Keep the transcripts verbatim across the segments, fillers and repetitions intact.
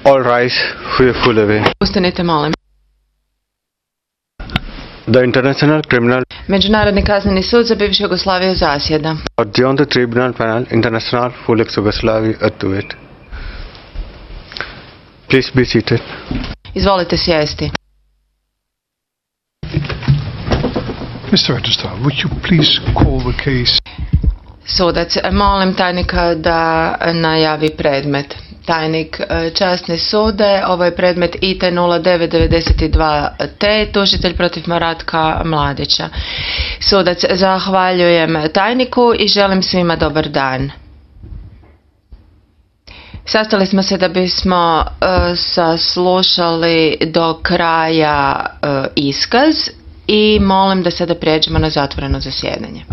All rise, we are full away. Ustanite, molim. The International Criminal Međunarodni kazneni sud za bivšu Jugoslaviju zasjeda. Beyond the Tribunal Panel International for Yugoslavia Activate. Please be seated. Izvolite sjesti. Mister Registrar, would you please call the case? Sudac, molim tajnika da najavi predmet. Tajnik, časni sude, ovo je predmet I T nula devet devet dva T, tužitelj protiv Maratka Mladića. Sudac, zahvaljujem tajniku i želim svima dobar dan. Sastali smo se da bismo uh, saslušali do kraja uh, iskaz i molim da sada prijeđemo na zatvoreno zasjedanje.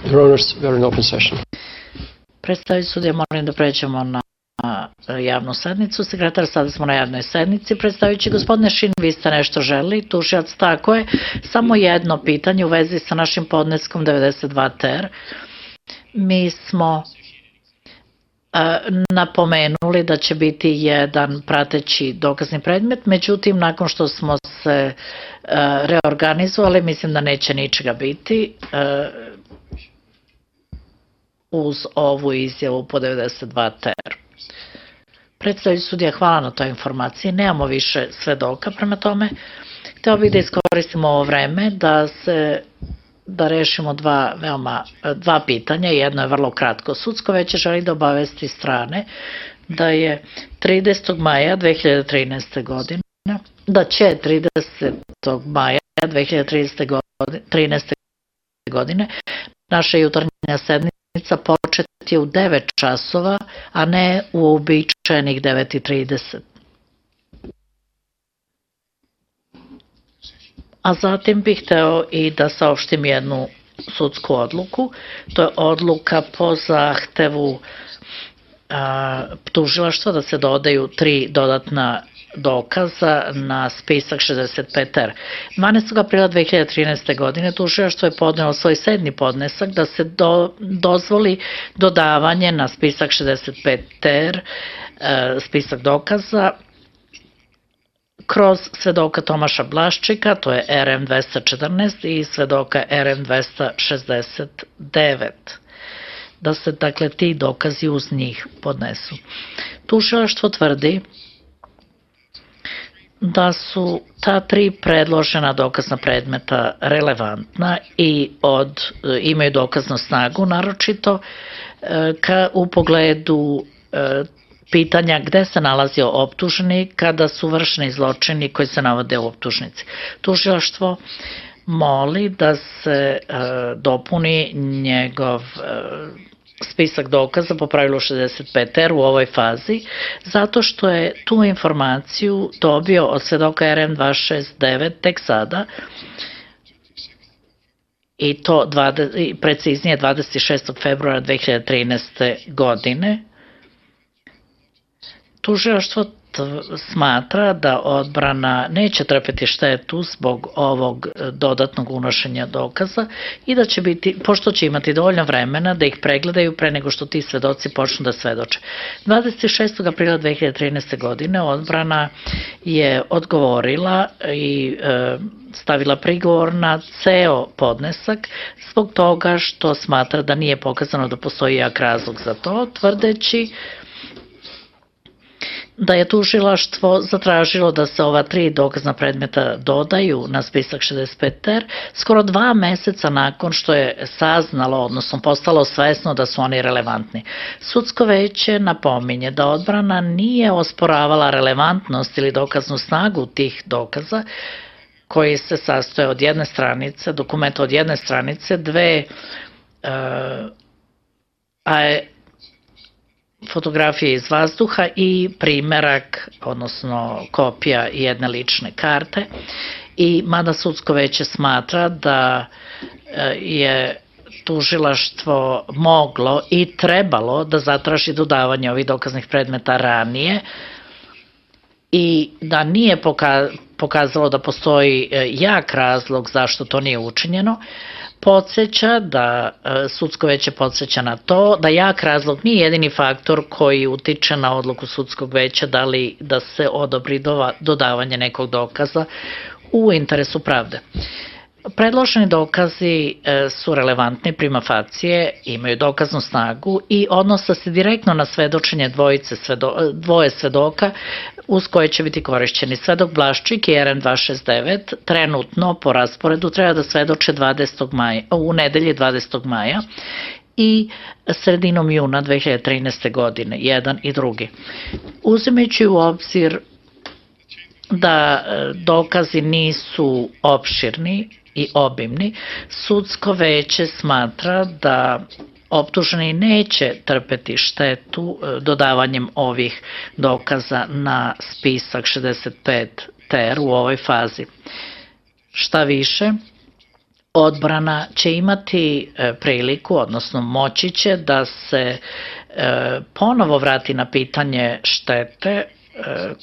Your Honors, we are in open session. Predstavljajući sudija, molim da pređemo na javnu sednicu. Sekretar, sada smo na javnoj sednici. Predstavljajući gospodine Šin, vi ste nešto želi, tužilac, tako je. Samo jedno pitanje u vezi sa našim podneskom devedeset dva T R. Mi smo napomenuli da će biti jedan prateći dokazni predmet, međutim, nakon što smo se reorganizovali, mislim da neće ničega biti uz ovu izjavu po devedeset dva T R. Predstavljajući sudija, hvala na toj informaciji. Nemamo više svedoka, prema tome hteo bih da iskoristimo ovo vreme da se da rešimo dva veoma dva pitanja. Jedno je vrlo kratko. Sudsko veće želi da obavesti strane da je tridesetog maja dve hiljade trinaeste. godine da će tridesetog maja dve hiljade trinaeste. godine naša jutarnja sednica početi u devet časova, a ne u uobičajenih devet i trideset. A zatim bih hteo i da saopštim jednu sudsku odluku. To je odluka po zahtevu tužilaštva da se dodaju tri dodatna dokaza na spisak šezdeset pet R. dvanaestog aprila dve hiljade trinaeste. godine tužilaštvo je podnelo svoj sedmi podnesak da se do, dozvoli dodavanje na spisak šezdeset pet R, spisak dokaza, kroz svedoka Tomaša Blaščika, to je R M dvesta četrnaest, i svedoka R M dvesta šezdeset devet. Da se, dakle, ti dokazi uz njih podnesu. Tužilaštvo tvrdi da su ta tri predložena dokazna predmeta relevantna i od, imaju dokaznu snagu, naročito ka, u pogledu e, pitanja gde se nalazio optuženi kada su vršeni zločini koji se navode u optužnici. Tužilaštvo moli da se e, dopuni njegov e, spisak dokaza po pravilu šezdeset pet R u ovoj fazi, zato što je tu informaciju dobio od svedoka R M dvesta šezdeset devet tek sada, i to dvadeset, preciznije dvadeset šestog februara dve hiljade trinaeste. godine. Tužilaštvo smatra da odbrana neće trpeti štetu zbog ovog dodatnog unošenja dokaza i da će biti, pošto će imati dovoljno vremena da ih pregledaju pre nego što ti svedoci počnu da svedoče. dvadeset šestog aprila dve hiljade trinaeste. godine odbrana je odgovorila i e, stavila prigovor na ceo podnesak zbog toga što smatra da nije pokazano da postoji jak razlog za to, tvrdeći da je tužilaštvo zatražilo da se ova tri dokazna predmeta dodaju na spisak šezdeset pet R skoro dva meseca nakon što je saznalo, odnosno postalo svesno da su oni relevantni. Sudsko veće napominje da odbrana nije osporavala relevantnost ili dokaznu snagu tih dokaza koji se sastoje od jedne stranice, dokumenta od jedne stranice, dve uh, a fotografije iz vazduha i primerak, odnosno kopija jedne lične karte. I mada sudsko veće smatra da je tužilaštvo moglo i trebalo da zatraži dodavanje ovih dokaznih predmeta ranije, i da nije pokazalo da postoji jak razlog zašto to nije učinjeno, podsjeća da sudsko veće podsjeća na to da jak razlog nije jedini faktor koji utiče na odluku sudskog veća da li da se odobri dodavanje nekog dokaza u interesu pravde. Predloženi dokazi su relevantni prima facie, imaju dokaznu snagu i odnose se direktno na svedočenje dvojice svedo, dvoje svedoka uz koje će biti korišćeni. Svedok Blaščik i R N dva šest devet trenutno po rasporedu treba da svedoče dvadesetog maja, u nedelji dvadesetog maja i sredinom juna dve hiljade trinaeste. godine, jedan i drugi. Uzimajući u obzir da dokazi nisu opširni i obimni, sudsko veće smatra da optuženi neće trpeti štetu dodavanjem ovih dokaza na spisak šezdeset pet ter u ovoj fazi. Šta više, odbrana će imati priliku, odnosno moći će da se ponovo vrati na pitanje štete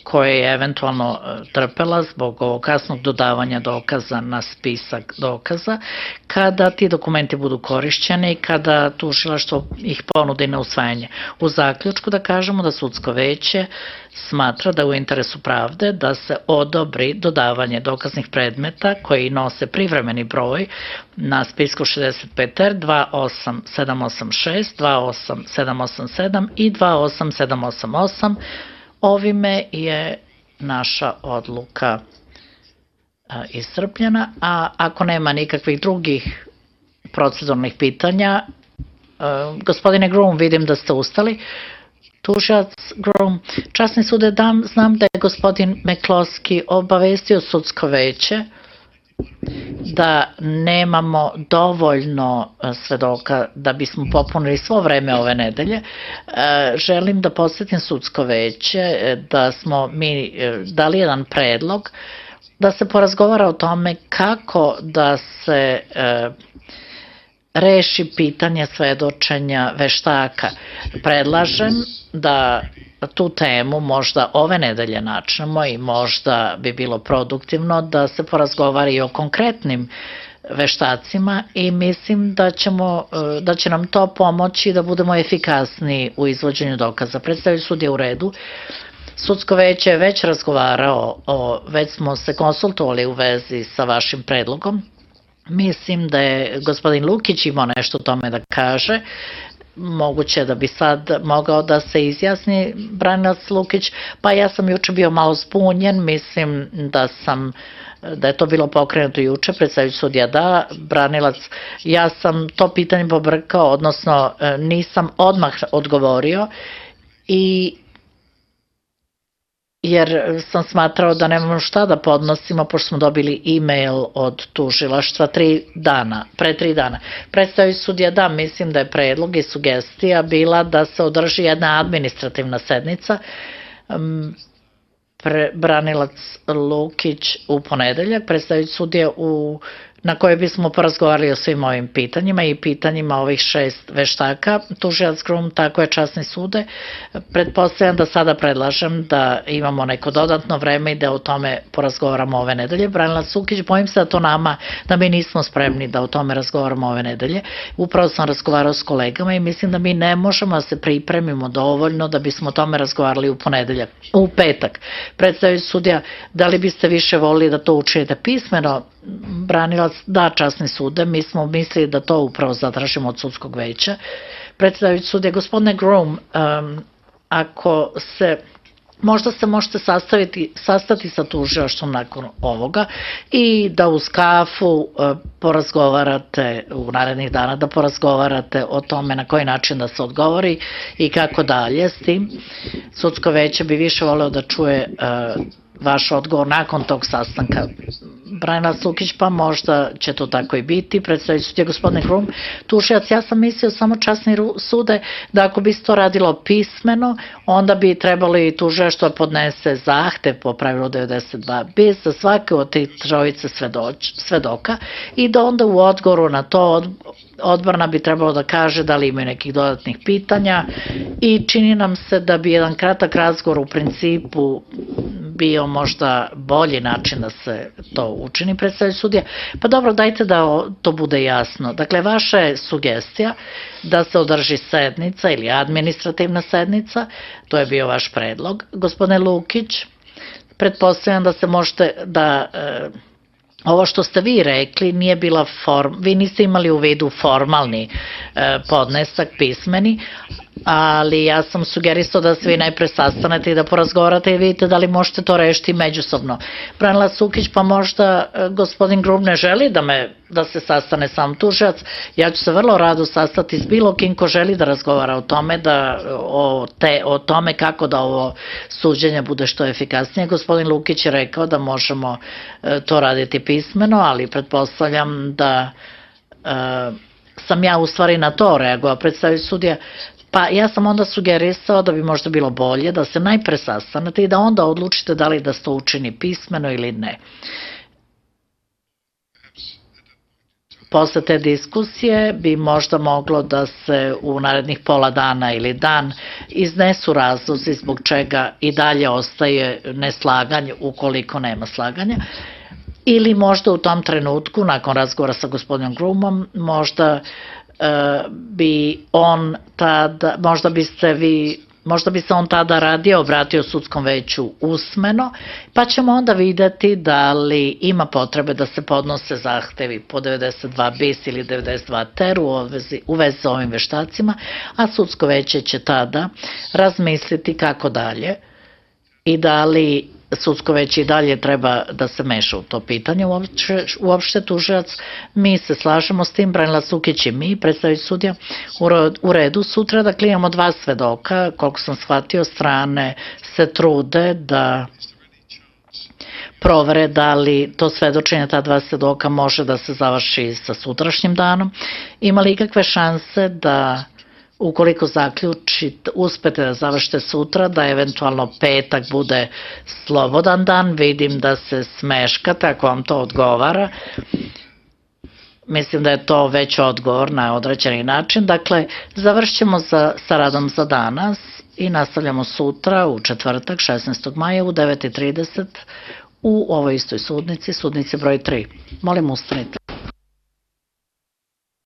koje je eventualno trpela zbog ovog kasnog dodavanja dokaza na spisak dokaza, kada ti dokumenti budu korišćeni i kada tužilaštvo ih ponudi na usvajanje. U zaključku da kažemo da sudsko veće smatra da u interesu pravde da se odobri dodavanje dokaznih predmeta koji nose privremeni broj na spisku šezdeset pet ter dva osam sedam osam šest, dva osam sedam osam sedam i dva osam sedam osam osam. Ovime je naša odluka iscrpljena, a ako nema nikakvih drugih proceduralnih pitanja, gospodine Groom, vidim da ste ustali. Tužilac Groom, časni sude, dam, znam da je gospodin McCloskey obavestio sudsko veće da nemamo dovoljno svedoka da bismo popunili svo vreme ove nedelje. Želim da podsjetim sudsko veće da smo mi dali jedan predlog da se porazgovara o tome kako da se reši pitanje svedočenja veštaka. Predlažem da tu temu možda ove nedelje načnemo i možda bi bilo produktivno da se porazgovara i o konkretnim veštacima i mislim da, ćemo, da će nam to pomoći da budemo efikasniji u izvođenju dokaza. Predstavljajući sud je u redu. Sudsko veće je već razgovarao, o, već smo se konsultovali u vezi sa vašim predlogom. Mislim da je gospodin Lukić imao nešto o tome da kaže. Moguće da bi sad mogao da se izjasni branilac Lukić, pa ja sam juče bio malo zbunjen, mislim da sam da je to bilo pokrenuto juče, predstavljajući sudija da, branilac, ja sam to pitanje pobrkao, odnosno nisam odmah odgovorio i jer sam smatrao da nemamo šta da podnosimo, pošto smo dobili e-mail od tužilaštva tri dana, pre tri dana. Predstavljajući sudija da, mislim da je predlog i sugestija bila da se održi jedna administrativna sednica, Pre, branilac Lukić u ponedeljak, predstavljajući sudija u na kojoj bismo porazgovarali o svim ovim pitanjima i pitanjima ovih šest veštaka. Tužilac Groom, tako je časni sude. Pretpostavljam da sada predlažem da imamo neko dodatno vreme i da o tome porazgovaramo ove nedelje. Branilac Lukić, bojim se da to nama, da mi nismo spremni da o tome razgovaramo ove nedelje. Upravo sam razgovarao s kolegama i mislim da mi ne možemo da se pripremimo dovoljno da bismo o tome razgovarali u ponedeljak, u petak. Predstavljajući sudija, da li biste više volili da to učinite pismeno? Branilac, da, časni sude, mi smo mislili da to upravo zatražimo od sudskog veća. Predstavljajući sudija, gospodine Groom, um, ako se, možda se možete sastaviti, sastati sa tužilaštvom nakon ovoga i da uz kafu uh, porazgovarate u narednih dana, da porazgovarate o tome na koji način da se odgovori i kako dalje s tim. Sudsko veće bi više voleo da čuje uh, vaš odgovor nakon tog sastanka. Branilac Lukić, pa možda će to tako i biti. Predstavljajući sudija, gospodine Groom, tužilac, ja sam mislio samo časni sude da ako bi se to radilo pismeno, onda bi trebalo i tužilaštvo podnese zahtev po pravilu devedeset dva bis za svake od tih trojice svedoka i da onda u odgovoru na to odbrana bi trebalo da kaže da li imaju nekih dodatnih pitanja i čini nam se da bi jedan kratak razgovor u principu bio možda bolji način da se to učini, predstavljajući sudija? Pa dobro, dajte da to bude jasno. Dakle, vaša je sugestija da se održi sednica ili administrativna sednica, to je bio vaš predlog. Gospodine Lukić, pretpostavljam da se možete da... E, ovo što ste vi rekli nije bila form, vi niste imali u vidu formalni e, podnesak pismeni, ali ja sam sugerisao da se vi najpre sastanete i da porazgovarate i vidite da li možete to rešiti međusobno. Branila Sukić, pa možda e, gospodin Grub ne želi da, me, da se sastane sam tužilac, ja ću se vrlo rado sastati s bilo kim ko želi da razgovara o tome, da, o, te, o tome kako da ovo suđenje bude što efikasnije. Gospodin Lukić je rekao da možemo e, to raditi pismeno, ali pretpostavljam da e, sam ja u stvari na to reagovao, predstavljajući sudija. Pa ja sam onda sugerisao da bi možda bilo bolje da se najpre sastanete i da onda odlučite da li da se to učini pismeno ili ne. Posle te diskusije bi možda moglo da se u narednih pola dana ili dan iznesu razlozi zbog čega i dalje ostaje neslaganje ukoliko nema slaganja. Ili možda u tom trenutku, nakon razgovora sa gospodinom Grumom, možda bi on tada, možda biste vi, možda bi se on tada radije obratio sudskom veću usmeno, pa ćemo onda videti da li ima potrebe da se podnose zahtevi po devedeset dva bis ili devedeset dva ter u vezi, u vezi sa ovim veštacima, a sudsko veće će tada razmisliti kako dalje i da li sudsko veće i dalje treba da se meša u to pitanje. Uopšte, uopšte tužilac, mi se slažemo s tim, Branila Sukić i mi, predstavljajući sudija, u redu sutra, dakle imamo dva svedoka, koliko sam shvatio, strane se trude da provere da li to svedočenje ta dva svedoka može da se završi sa sutrašnjim danom. Ima li ikakve šanse da ukoliko zaključite, uspete da završite sutra, da eventualno petak bude slobodan dan? Vidim da se smeškate, ako vam to odgovara. Mislim da je to već odgovor na određeni način. Dakle, završćemo za, sa radom za danas i nastavljamo sutra u četvrtak, šesnaestog maja u devet i trideset u ovoj istoj sudnici, sudnici broj tri. Molim, ustanite.